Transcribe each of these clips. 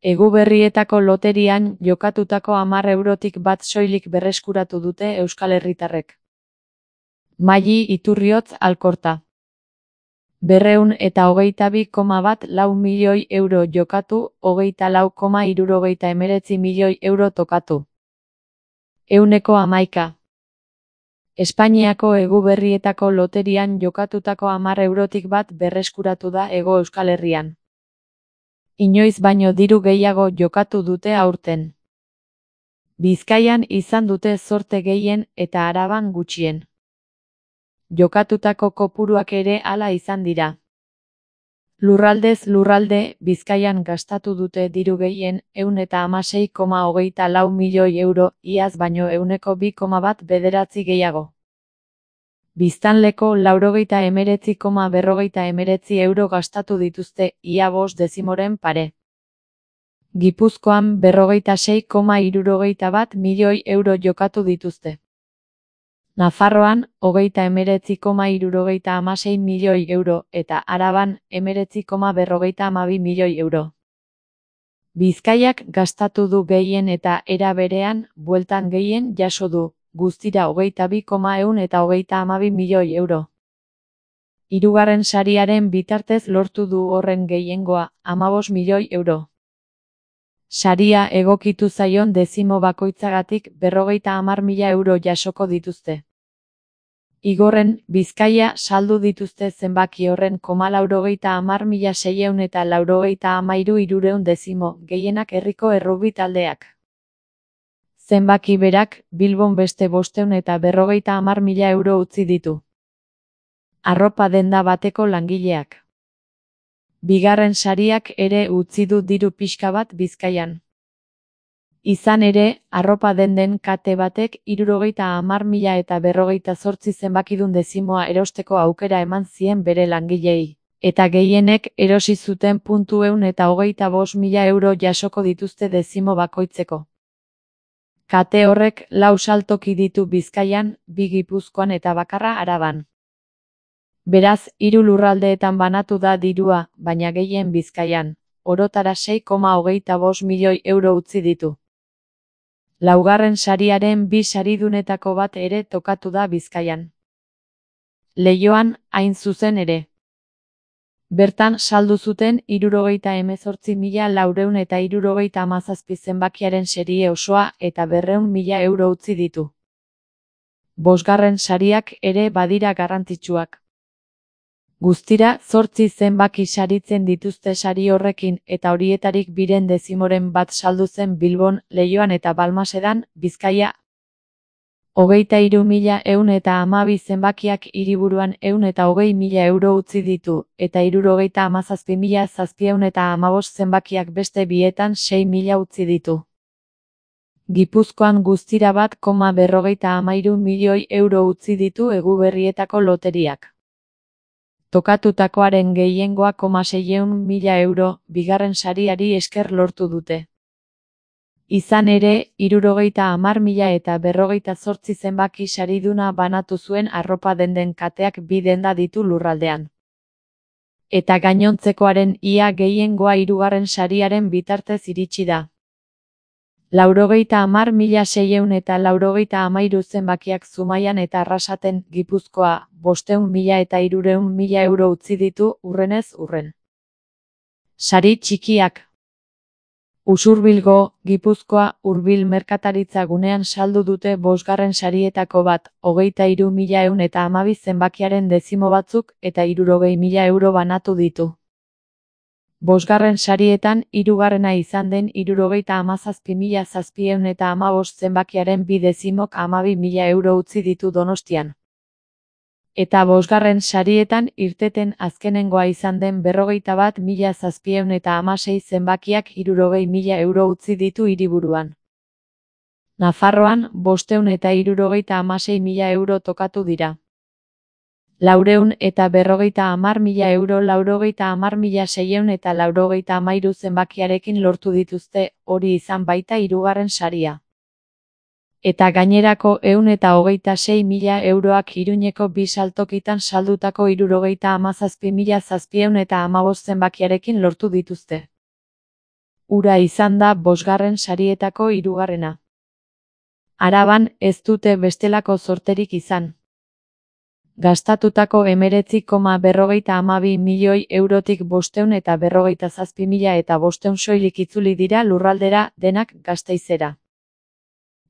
Eguberrietako loterian jokatutako 10 eurotik bat soilik berreskuratu dute euskal herritarrek. Maili Iturriotz Alkorta. 222,14 milioi euro jokatu, 24,79 milioi euro tokatu. 11. Espainiako eguberrietako loterian jokatutako 10 eurotik bat berreskuratu da Hego Euskal Herrian. Inoiz baino diru gehiago jokatu dute aurten. Bizkaian izan dute zorte gehien eta Araban gutxien. Jokatutako kopuruak ere hala izan dira. Lurraldez lurralde, Bizkaian gastatu dute diru gehien 116,24 milioi euro, iaz baino 2,19 gehiago. Biztanleko 99,49 euro gastatu dituzte, ia 5 dezimoren pare. Gipuzkoan 46,71 milioi euro jokatu dituzte. Nafarroan 39,76 milioi euro eta Araban 19,52 milioi euro. Bizkaiak gastatu du gehien eta era berean, bueltan gehien jaso du, guztira 22,112 milioi euro. Hirugarren sariaren bitartez lortu du horren gehiengoa, 15 milioi euro. Saria egokitu zaion dezimo bakoitzagatik 50.000 euro jasoko dituzte. Igorren, Bizkaia saldu dituzte zenbaki horren 50.693 dezimo, gehienak herriko errugbi taldeak. Zenbaki berak, Bilbon beste 550.000 euro utzi ditu. Arropa denda bateko langileak. Bigarren sariak ere utzi du diru pixka bat Bizkaian. Izan ere, arropa denden kate batek 70.000 eta 58 zenbakidun dezimoa erosteko aukera eman zien bere langileei, eta gehienek erosi zuten 125.000 euro jasoko dituzte dezimo bakoitzeko. Kate horrek 4 saltoki ditu Bizkaian, 2 Gipuzkoan eta bakarra Araban. Beraz, 3 lurraldeetan banatu da dirua, baina gehien Bizkaian, orotara 6,25 milioi euro utzi ditu. Laugarren sariaren 2 saridunetako bat ere tokatu da Bizkaian. Leioan, hain zuzen ere. Bertan saldu zuten 78.417 zenbakiaren serie osoa eta 200.000 euro utzi ditu. Bosgarren sariak ere badira garrantzitsuak. Guztira, 8 zenbaki saritzen dituzte sari horrekin eta horietarik 2 dezimoren bat saldu zen Bilbon, Leioan eta Balmasedan, Bizkaia. 23.112 zenbakiak hiriburuan 120.000 euro utzi ditu, eta 77.715 zenbakiak beste bietan 6.000 utzi ditu. Gipuzkoan guztira 1,53 milioi euro utzi ditu eguberrietako loteriak. Tokatutakoaren gehiengoa 600.000 euro, bigarren sariari esker lortu dute. Izan ere, 70.000 eta 58 zenbaki sariduna banatu zuen arropa denden kateak 2 denda ditu lurraldean. Eta gainontzekoaren ia gehiengoa hirugarren sariaren bitartez iritsi da. 90.693 zenbakiak Zumaian eta Arrasaten, Gipuzkoa, 500.000 eta 300.000 euro utzi ditu hurrenez hurren. Sari txikiak. Usurbilgo, Gipuzkoa, hurbil merkataritza gunean saldu dute 5. sarietako bat, 23.112 zenbakiaren dezimo batzuk eta 60.000 euro banatu ditu. 5. sarietan, 3. izan den 77.715 zenbakiaren 2 dezimok 12.000 euro utzi ditu Donostian. Eta 5. sarietan irteten azkenengoa izan den 41.716 zenbakiak 60.000 euro utzi ditu hiriburuan. Nafarroan 576.000 euro tokatu dira. 450.000 euro 450.693 zenbakiarekin lortu dituzte, hori izan baita hirugarren saria. Eta gainerako 126.000 euroak Iruñeko 2 saltokitan saldutako 77.715 zenbakiarekin lortu dituzte. Ura izan da bosgarren sarietako hirugarrena. Araban ez dute bestelako zorterik izan. Gastatutako 19,52 milioi eurotik 547.500 soilik itzuli dira lurraldera, denak Gasteizera.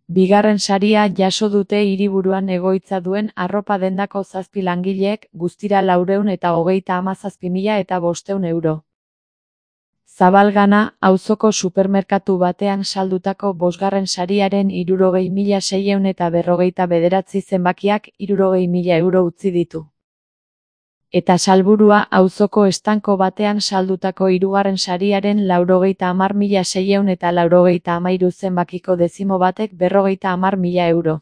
Bigarren saria jaso dute hiriburuan egoitza duen arropa dendako 7 langileek, guztira 437.500 euro. Zabalgana, auzoko supermerkatu batean saldutako bosgarren sariaren 60.649 zenbakiak 60.000 euro utzi ditu. Eta Salburua, auzoko estanko batean saldutako hirugarren sariaren 90.693 zenbakiko dezimo batek 50.000 euro.